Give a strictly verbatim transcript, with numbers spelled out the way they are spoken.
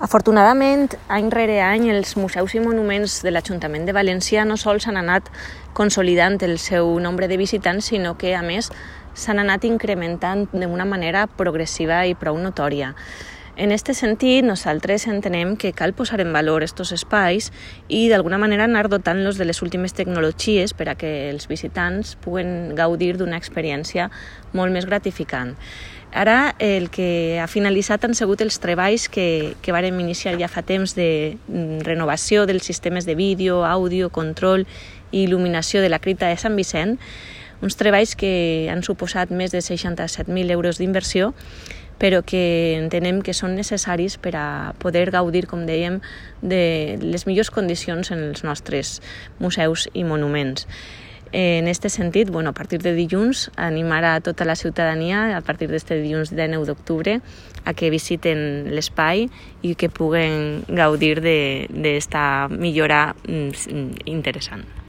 Afortunadament, any rere any, els museus i monuments de l'Ajuntament de València no sols han anat consolidant el seu nombre de visitants, sinó que, a més, s'han anat incrementant d'una manera progressiva i prou notòria. En aquest sentit, nosaltres entenem que cal posar en valor aquests espais i d'alguna manera anar dotant-los de les últimes tecnologies per a que els visitants puguen gaudir d'una experiència molt més gratificant. Ara el que ha finalitzat han sigut els treballs que, que vàrem iniciar ja fa temps de renovació dels sistemes de vídeo, àudio, control i il·luminació de la cripta de Sant Vicent, uns treballs que han suposat més de seixanta-set mil euros d'inversió, però que entenem que són necessaris per a poder gaudir, com dèiem, de les millors condicions en els nostres museus i monuments. En aquest sentit, bueno, a partir de dilluns, animar a tota la ciutadania, a partir d'este dilluns dinou d'octubre, a que visiten l'espai i que puguen gaudir d'esta millora interessant.